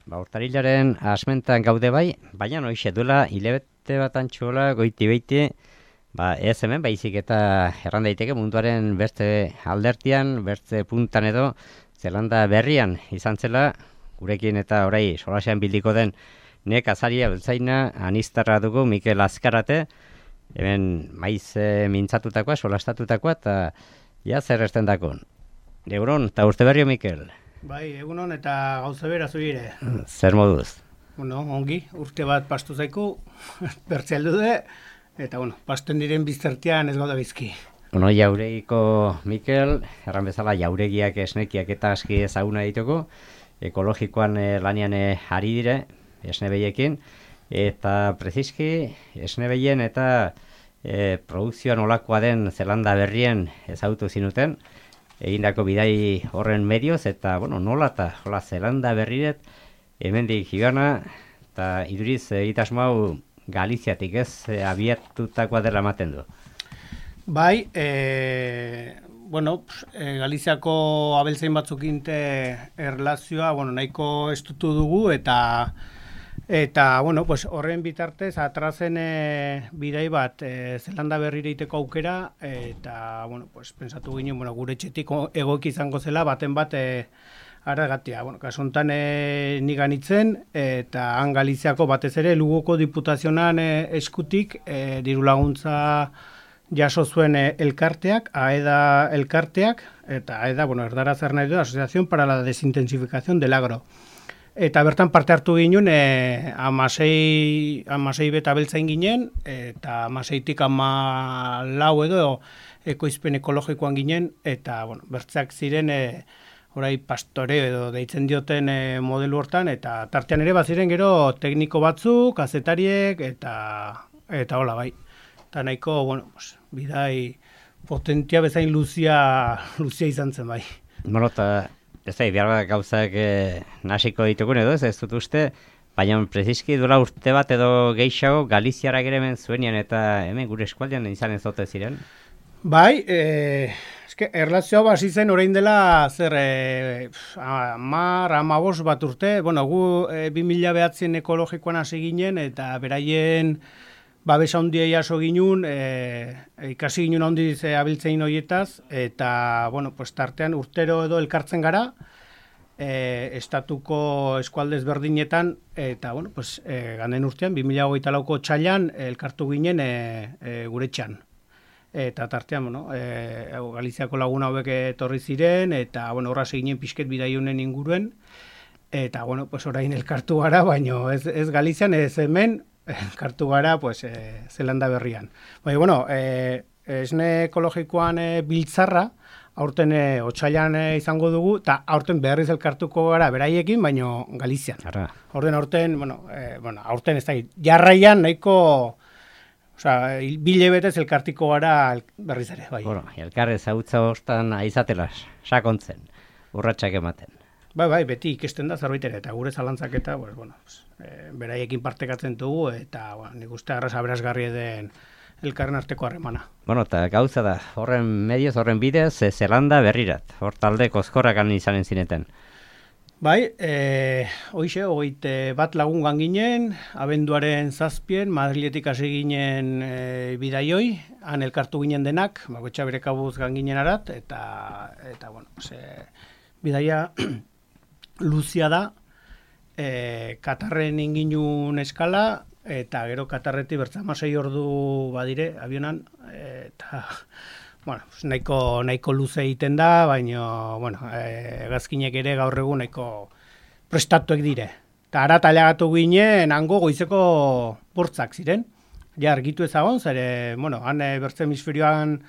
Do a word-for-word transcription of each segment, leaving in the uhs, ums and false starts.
Ba, urtarilaren asmentan gaude bai, baina noixe duela hilabete bat antxola goiti beiti, ba, ez hemen baizik eta erran daiteke munduaren beste aldertian, beste puntan edo, Zelanda berrian izan zela, gurekin eta orai solasean bildiko den nek azaria beltzaina anistarra dugu Mikel Azkarate, hemen maiz e, mintzatutakoa, solastatutakoa, eta ja zer esten dakon. Euron, eta urte berrio Mikel. Bai, egunon eta gauza bera zuire. Zer moduz? Bueno, ongi, urte bat pastu zaiku, bertze aldu de, eta bueno, pasten diren biztertian ez gauda bizki. Bueno, jauregiko Mikel, erran bezala jauregiak esnekiak eta aski ezaguna dituko, ekologikoan e, lanian e, ari dire, esnebeiekin, eta preziski esnebeien eta e, produkzioan olakoa den Zelanda berrien ezagutu zinuten, egindako bidai horren medioz, eta, bueno, nola eta hola Zelanda berriret, hemendik joana, eta iduriz egitasmo hau Galiziatik ez e, abiatutakoa dela ematen du. Bai, e, bueno, e, Galiziako abeltzain batzukinte erlazioa, bueno, nahiko estutu dugu, eta Eta, bueno, pues horren bitartez, atrazen e, bidai bat e, Zelanda berrire iteko aukera, eta, bueno, pues pensatu ginen, bueno, gure txetik egoik izango zela, baten bat e, aragatia. Bueno, kasuntan e, nigan itzen, eta han Galiziako batez ere, Lugoko diputazionan e, eskutik, e, diru laguntza jaso zuen e, elkarteak, AEDA elkarteak, eta AEDA, bueno, erdara zer nahi du, Asociación para la Desintensificación del Agro. Eta bertan parte hartu ginen, e, amasei, amasei beta beltzain ginen, eta amaseitik ama lau edo ekoizpen ekologikoan ginen, eta bueno, bertzeak ziren e, orai pastoreo edo deitzen dioten e, modelu hortan, eta tartean ere baziren gero tekniko batzuk, kazetariek, eta eta hola bai. Eta nahiko, bueno, pues, bidai potentia bezain luzia, luzia izan zen bai. Bueno, eta ez da, behar bat gauzak e, nasiko ditugun edo, ez, ez dut uste, baina preziski duela urte bat edo gehiago Galiziara geremen zuenian eta hemen gure eskualdean izan ez dote ziren? Bai, e, eske, erlazioa basi zen orain dela zer e, amar, amabos bat urte, bueno, gu e, bi mila behatzen ekologikoan hasi ginen eta beraien babesa handia jaso ginun, e, ikasi ginun handiz e, abiltzein horietaz, eta, bueno, pues, tartean urtero edo elkartzen gara, e, estatuko eskualdez berdinetan, eta, bueno, pues, e, ganden urtean, bi mila hogeita lauko txailan, elkartu ginen e, e, gure txan. Eta tartean, bueno, e, Galiziako laguna hauek etorri ziren, eta, bueno, horra seginen pixket bidaiunen inguruen, eta, bueno, pues, orain elkartu gara, baino ez, ez Galizian, ez hemen, elkartu gara, pues, e, Zelanda berrian. Baina, bueno, e, esne ekologikoan e, biltzarra, aurten e, otsailan e, izango dugu, eta aurten berriz elkartuko gara beraiekin, baino Galizian. Arra. Aurten, aurten, bueno, e, bueno, aurten ez da, jarraian nahiko, osea, bile betez elkartiko gara berriz ere, bai. Bueno, elkar ezautza hostan aizatela sakontzen, urratsak ematen. Bai, bai, beti ikesten da zerbait ere, eta gure zalantzak eta, pues, bueno, e, beraiekin partekatzen dugu, eta, bueno, nik uste arras aberazgarri den elkarren arteko harremana. Bueno, eta gauza da, horren medioz, horren bidez, e, Zelanda berrirat, hor talde kozkorrakan izanen zineten. Bai, e, hoixe, hogeite bat lagungan ginen, abenduaren zazpien, Madriletik hasi ginen e, bidaioi, han elkartu ginen denak, bakoitza bere kabuz ginen arat, eta, eta bueno, ze, bidaia luzia da, e, Katarren inginun eskala, eta gero Katarreti bertzamasei ordu badire, avionan, e, eta, bueno, nahiko, nahiko luze egiten da, baina, bueno, e, gazkinek ere gaur egun nahiko prestatuek dire. Eta ara talagatu ginen, hango goizeko bortzak ziren, ja argitu ezagon, zere, bueno, han e, bertze hemisferioan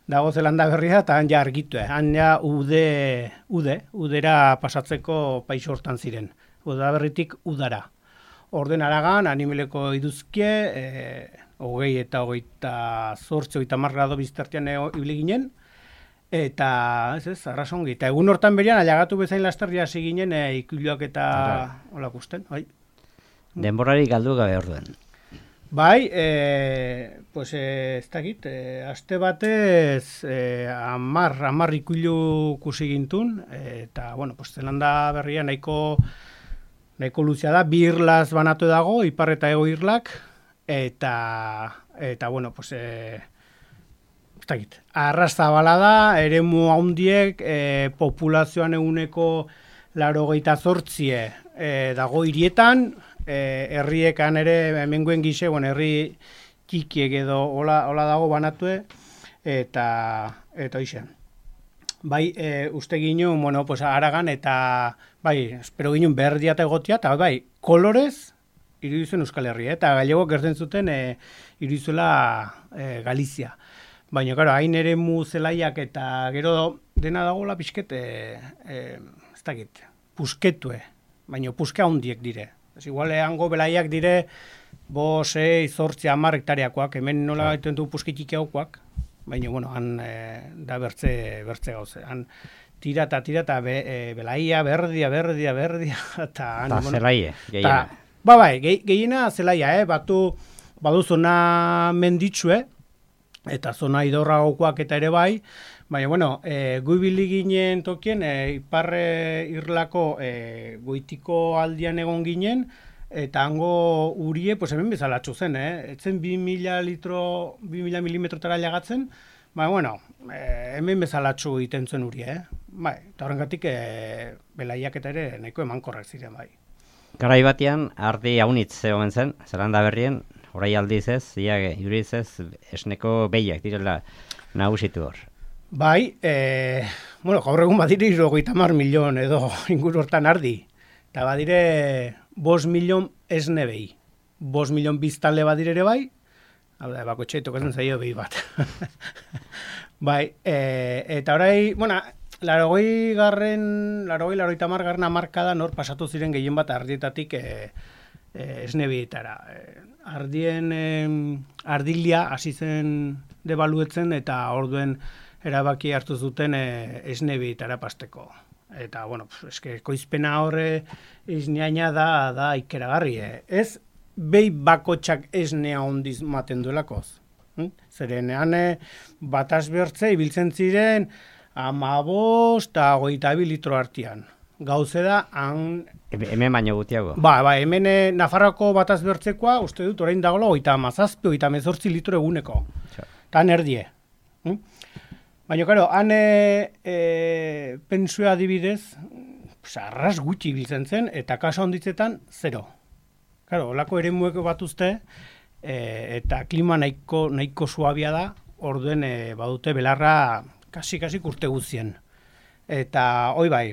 dago Zelanda berria, eta han ja argitu, eh? Han ja ude, ude, udera pasatzeko paixo hortan ziren. Uda berritik udara. Orden aragan, animeleko iduzkie, e, hogei eta hogeita zortzi, hogeita margrado biztartian ibili ginen, eta, ez ez, arrasongi. Eta egun hortan berian, alagatu bezain lasterria hasi ginen, e, ikuloak eta holak usten, bai. Denborari galdu gabe orduen. Bai, e, pues, e, ez dakit, e, aste batez e, amar, amar ikuilu kusi gintun, e, eta, bueno, pues, Zelanda berria nahiko nahiko luzea da, bi irlaz banatu dago, ipar eta ego irlak, eta, eta bueno, pues, e, ez dakit, arrazabala da, eremu handiek, e, populazioan eguneko laurogeita zortzie e, dago hirietan, e, herriekan ere, hemengoen gise, bueno, herri txikiek edo hola, hola dago banatue, eta, eta hoxe. Bai, e, uste ginen, bueno, pues, Aragan, eta, bai, espero ginen berdia eta egotia, eta bai, kolorez, irudizuen Euskal Herria, eta galego gertzen zuten e, irudizuela e, Galizia. Baina, karo, hain ere mu zelaiak eta gero dena dagoela pixket, e, e, ez dakit, pusketue, baina puske handiek dire. Ez igual, hango belaiak dire, bo, sei, zortzi, hamar hektareakoak, hemen nola gaituen du puskitik haukoak, baina, bueno, han e, da bertze, bertze gauze. Han tira eta tira eta be, e, belaia, berdia, berdia, berdia. Eta bueno, zelaie, gehiena. Ba, bai, ge, gehiena zelaia, eh? Batu, badu zona menditsue, eta zona idorra gokoak eta ere bai, baina, bueno, e, guibili ginen tokien, e, iparre irlako e, goitiko aldian egon ginen, eta hango urie, pues hemen bezalatxo zen, eh? Etzen bi mila litro, bi mila milimetrotara lagatzen, ba, bueno, eh, hemen bezalatxo egiten zuen urie, eh? Bai, eta horrengatik eh, belaiak eta ere nahiko emankorrak ziren, bai. Garai batean, ardi haunitz zegoen zen, Zelanda berrien, orai aldiz ez, ia juriz ez, esneko behiak direla nagusitu hor. Bai, eh, bueno, gaur egun badire hirurogeita hamar milion edo inguru hortan ardi, eta badire bost milion esne behi. Bost milion biztanle badire ere bai, hau da, bako txaitok ezen zaio behi bat. Bai, e, eta orai, bueno, larogei garren, larogei, larogeita hamar garren hamarkadan hor pasatu ziren gehien bat ardietatik e, e, esne behietara. E, ardien e, ardilia hasi zen debaluetzen eta orduen erabaki hartu zuten e, esne behietara pasteko. Eta, bueno, eske, koizpena horre esneaina da, da ikeragarri, eh? Ez, behi bakotxak esnea ondiz maten duelakoz. Hm? Zeren, hane, bataz bertze, ibiltzen ziren, amabost eta goita bi litro artian. Gauze da, han... Hemen baino gutiago. Ba, ba, hemen eh, Nafarroko bataz bertzekoa, uste dut, orain dagoela, goita amazazpi, goita mezortzi litro eguneko. Tan erdie. Hm? Baina, karo, han e, e, pensua adibidez, arras gutxi biltzen zen, eta kasa onditzetan, zero. Karo, olako ere mueko bat uste, e, eta klima nahiko, nahiko suabia da, orduen e, badute belarra kasi-kasi urte guztien. Eta, hoi bai,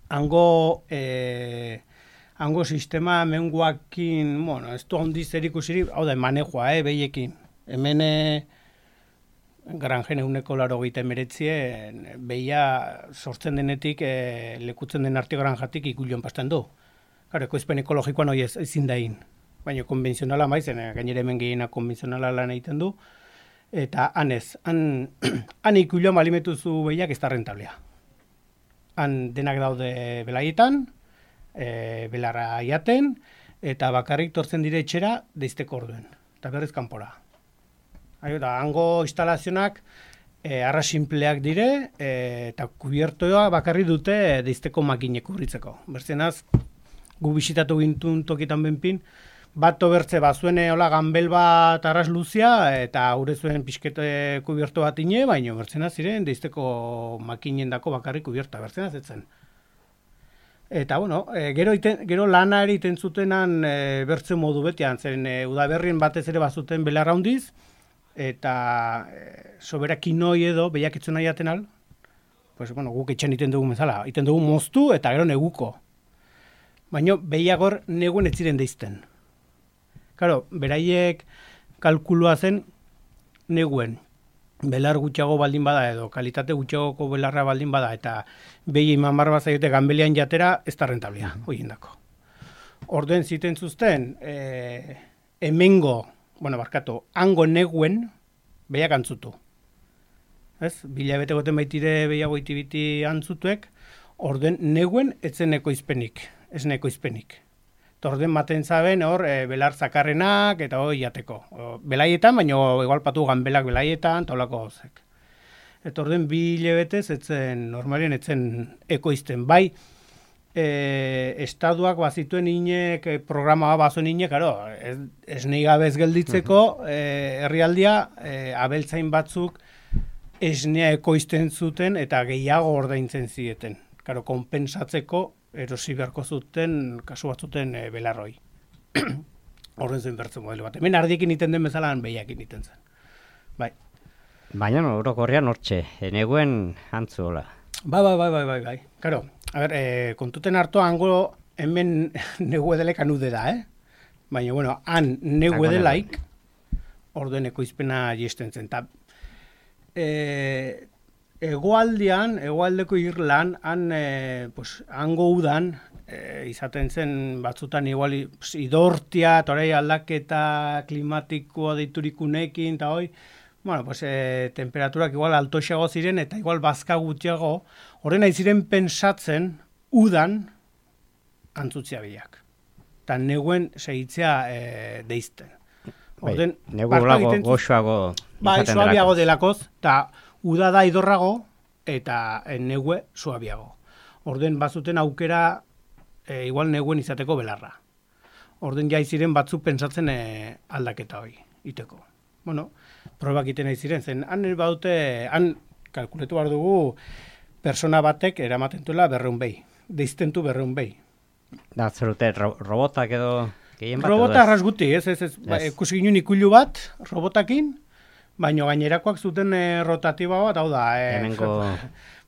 hango, e, hango sistema menguakin, bueno, ez du ondiz erikusirik, hau da, manejoa, eh, behiekin. Hemen, e, Granjen eguneko laro gehieta emeretzien, behia sortzen denetik, e, lekutzen den arte granjatik ikulioan pasten du. Karo, ekoizpen ekologikoan hori ez, ezin dain. Baina konbentzionala maizen, gainera hemen gehiena konbentzionala lan egiten du. Eta han ez, han, han ikulioan balimetuzu behiak ez da rentablea. Han denak daude belaietan, e, belarra iaten, eta bakarrik tortzen dire etxera deizteko orduen. Eta berriz kanpora. Eta hango instalazionak e, arra simpleak dire e, eta kubiertoa bakarri dute deizteko makinek urritzeko. Bertzenaz, gu bisitatu gintun tokitan benpin, bat tobertze bazuene hola ganbel bat arras luzia eta aurre zuen pixkete kubierto bat ine, baina bertzenaz ziren deizteko makinen dako bakarri kubierta, bertzenaz etzen. Eta, bueno, e, gero, iten, gero lana ere iten zutenan e, bertze modu betean, zeren e, udaberrien batez ere bazuten belarra hundiz, eta e, sobera kinoi edo behiak itzun nahi atenal, pues, bueno, guk etxen iten dugu mezala, iten dugu moztu eta gero neguko. Baina behiagor neguen ez ziren deizten. Karo, beraiek kalkulua zen neguen. Belar gutxiago baldin bada edo kalitate gutxiagoko belarra baldin bada eta behi iman barba zaiote ganbelian jatera ez da rentablia, hoiendako. Orduen ziten zuzten, e, hemengo, bueno, barkatu, hango neguen behiak antzutu. Ez? Bila bete goten baitire behiago itibiti antzutuek, orduen neguen etzen ekoizpenik, ez ekoizpenik. Torden maten zaben hor e, belar zakarrenak eta hori jateko. O, belaietan, baina igual patu ganbelak belaietan, taulako gauzek. Eta orden bi hilabetez etzen, normalien etzen ekoizten. Bai, e, estaduak bazituen inek, e, programa bazuen inek, karo, ez, ez nahi gabez gelditzeko, e, herrialdia, e, abeltzain batzuk esnea ekoizten zuten eta gehiago ordaintzen zieten. Karo, konpensatzeko erosi beharko zuten, kasu batzuten e, belarroi. Horren zen bertzen modelo bat. Hemen ardiekin iten den bezala, behiakin iten zen. Bai. Baina, no, orokorrean hortxe, eneguen antzuola. Bai, bai, bai, bai, bai, bai. Karo, a ber, e, kontuten hartu hango hemen negu edelek anude da, eh? Baina, bueno, han negu edelaik orduen ekoizpena jesten zen. Ta, e, egoaldean, egoaldeko Irlan, han, e, pues, hango udan, e, izaten zen batzutan igual pues, idortia, eta orai aldaketa klimatikoa deiturikunekin, eta hoi, bueno, pues, e, temperaturak igual altoxeago ziren, eta igual bazka gutxiago, horren nahi ziren pensatzen, udan, antzutzia biak. Eta neguen segitzea e, deizten. Orden, bai, negu lago, goxoago. Bai, suabiago delakoz, eta uda da idorrago, eta e, negue suabiago. Orden, bazuten aukera, e, igual neguen izateko belarra. Orden, jaiziren batzuk pentsatzen e, aldaketa hori, iteko. Bueno, probak iten nahi ziren, zen, han baute, han kalkuletu behar dugu, persona batek eramaten duela berreun behi, deiztentu berreun behi. Da, zerute, ro robotak edo gehien bat? Robota arras guti, ez, ez, ez, ba, ikusi ginen ikulu bat, robotakin, baina gainerakoak zuten e, rotatiba bat, hau da, e, Hemengo...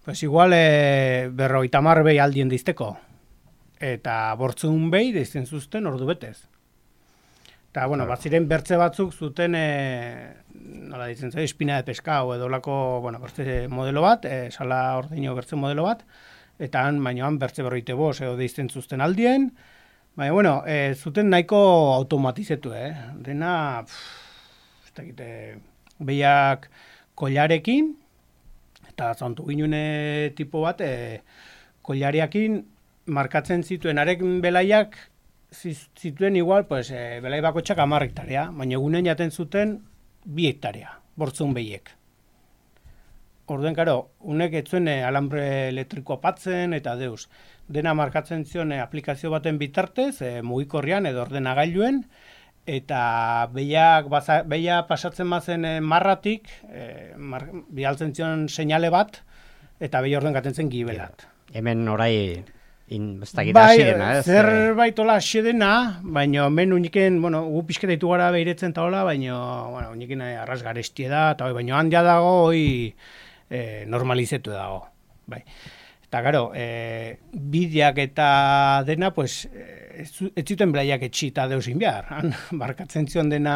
pues igual e, berroita mar behi aldien deizteko, eta bortzun behi deizten zuzten ordu betez. Eta, bueno, bat ziren bertze batzuk zuten, e, nola ditzen zen, espina de peskau edo lako, bueno, bertze modelo bat, e, sala ordeino bertze modelo bat, eta han, baino han bertze berroite bos edo deizten zuzten aldien, baina, bueno, e, zuten nahiko automatizetu, eh? Dena, pff, ez dakite, behiak kollarekin, eta zantu ginune tipo bat, e, kollariakin markatzen zituen arek belaiak, zituen igual, pues, e, belai bakotxak hamar hektarea, baina egunen jaten zuten bi hektarea, bortzun behiek. Orden, karo, unek etzuen e, alambre elektrikoa patzen, eta deus. Dena markatzen zion e, aplikazio baten bitartez, e, mugikorrian edo ordenagailuen, eta behiak, baza, behiak pasatzen mazen e, marratik, e, mar, bialtzen zion seinale bat, eta behi orden gaten zen gibelat. Hemen orai... In, bai, zerbait hola asedena, baina hemen uniken, bueno, gu pixketa ditu gara behiretzen eta hola, baina, bueno, uniken arras garestie da, eta hoi, baina handia dago, hoi e, normalizetu dago, bai. Eta, gero, e, bideak eta dena, pues, ez, ez zuten belaiak etxi eta deusin behar, han, markatzen zion dena,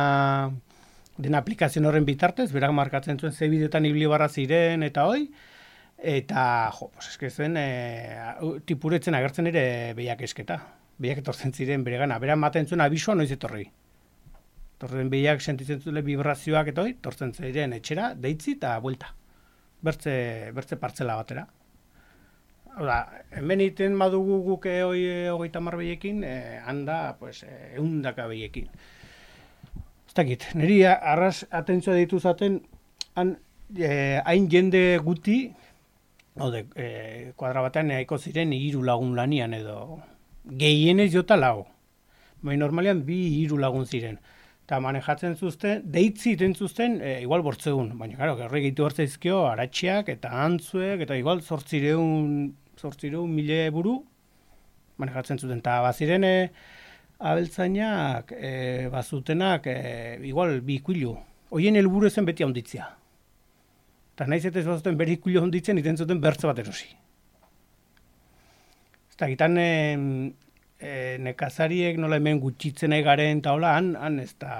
dena aplikazio horren bitartez, berak markatzen zuen ze bideotan ibili barra ziren, eta hoi, eta, jo, pues eske zen, e, tipuretzen agertzen ere behiak esketa. Behiak etortzen ziren bere gana. Bera maten zuen abisua noiz etorri. Torren behiak sentitzen zule vibrazioak eta hoi, tortzen ziren etxera, deitzi eta buelta. Bertze, bertze partzela batera. Oda, hemen iten badugu guk hoi hogeita hamar behiekin, e, handa, pues, eundaka behiekin. Ez dakit, niri arras atentzioa ditu zaten, han, e, hain jende guti, Hode, e, kuadra batean nahiko ziren hiru lagun lanian edo gehienez jota lau. Baina normalean bi hiru lagun ziren. Eta manejatzen zuzten, deitzi iten zuzten, e, igual bortzeun. Baina, karo, gerri gehitu hartzaizkio, aratxiak eta antzuek, eta igual zortzireun, zortzireun mile buru manejatzen zuten. Eta baziren e, abeltzainak, e, bazutenak, e, igual bi ikuilu. Hoien helburu zen beti handitzia. Eta nahiz eta ez bazuten bere ikuilo honditzen, iten zuten bertze bat erosi. Eta gitan e, e, nekazariek nola hemen gutxitzen nahi garen eta hola, han, han ez da,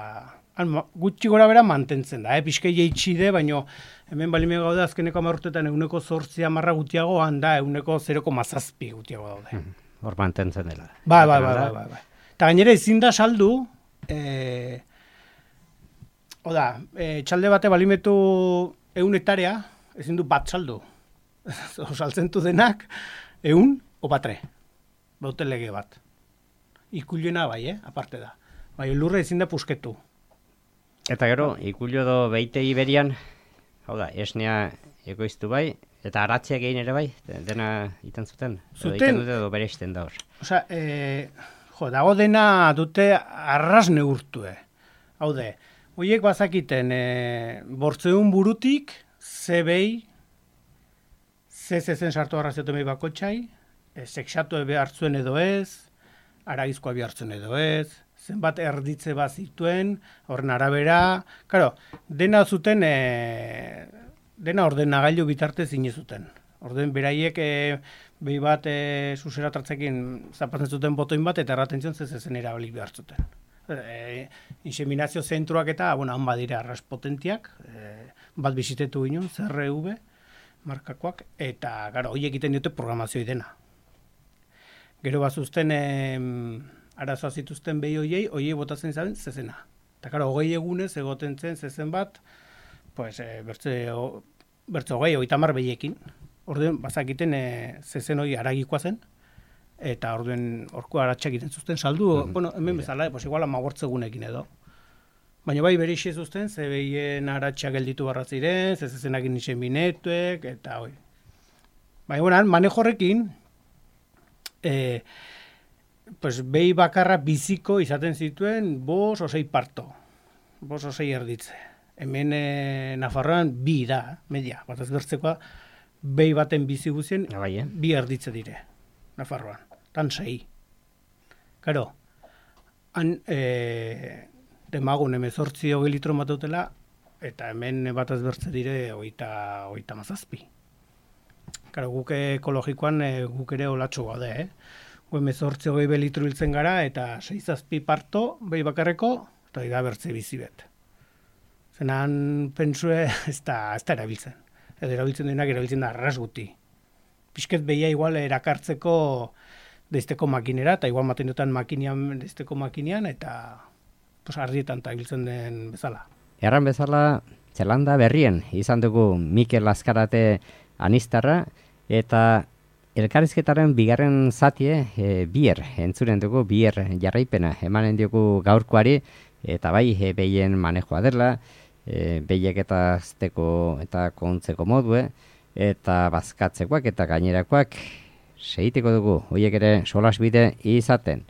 han gutxi gora bera mantentzen da, eh? Pixkei jeitxide, baino hemen balimea gaude azkeneko amarrutetan eguneko zortzia marra gutiago, han da eguneko zeroko mazazpi gutiago daude. Hor mantentzen dela. Bai, bai, bai, bai, bai, bai. Eta gainera ezin da saldu, e, oda, e, txalde bate balimetu eun hektarea, ezin du bat saldu. Saltzen du denak, eun o batre. Baute lege bat. Ikuilena bai, eh? Aparte da. Bai, lurre ezin da pusketu. Eta gero, ikulio edo beite iberian, hau da, esnea ekoiztu bai, Eta aratziak egin ere bai, dena iten zuten? Zuten. Edo iten dute edo bere isten da hor. Osa, e, jo, dago dena dute arras neurtue. Hau de, horiek bazakiten e, bortzeun burutik, ze behi, ze zezen sartu arrazioten behi bakotxai, e, seksatu ebe hartzuen edo ez, aragizkoa bi hartzen edo ez, zenbat erditze bat zituen, horren arabera, claro, dena zuten, e, dena ordenagailu bitartez inezuten. Orden beraiek e, behi bat e, zuzera tartzekin zapatzen zuten botoin bat, eta erraten zion zezen erabili behar zuten. E, inseminazio zentroak eta, bueno, han badira arras potentiak, e, bat bizitetu ginen, C R V, markakoak, eta, gara, horiek egiten dute programazioa dena. Gero bazuzten, e, arazoa zituzten behi hoiei, hoiei botatzen zaben zezena. Eta, gara, hogei egunez egoten zen zezen bat, pues, e, bertze, o, bertze hogei, hogei tamar behiekin. Orduen, bazakiten e, zezen hori aragikoa zen, eta orduen orko aratsak egiten zuzten saldu, mm-hmm. bueno, hemen bezala, pues igual amagortzegunekin edo. Baina bai berixe zuzten, ze behien aratsak gelditu barra ziren, ze zezenakin nixen binetuek, eta hoi. Baina, bueno, manejo horrekin, e, pues behi bakarra biziko izaten zituen bos osei parto, bos osei erditze. Hemen e, Nafarroan bi da, media, bat ez bertzekoa, behi baten bizi guzien, bai, eh? bi erditze dire, Nafarroan, tan sei. Karo, han e, demagun emezortzi hogei litro matutela, eta hemen bat ez bertze dire oita, oita mazazpi. Karo, guk ekologikoan e, guk ere olatxo gaude, eh? Gu emezortzi hogei be litro hiltzen gara, eta sei zazpi parto, behi bakarreko, eta da bertze bizi bet. Zenan pentsue ez da, ez da erabiltzen. Edo erabiltzen denak erabiltzen da arras guti. Pisket behia igual erakartzeko deizteko makinera, eta igual maten dutan makinean deizteko makinean, eta pues, ardietan eta ibiltzen den bezala. Erran bezala, Zelanda berrien izan dugu Mikel Azkarate anistarra, eta elkarrizketaren bigarren zatie e, bier, entzuren dugu bier jarraipena, emanen dugu gaurkoari, eta bai e, behien manejoa dela, e, behiek eta azteko eta kontzeko modue, eta bazkatzekoak eta gainerakoak segiteko dugu, horiek ere solasbide izaten.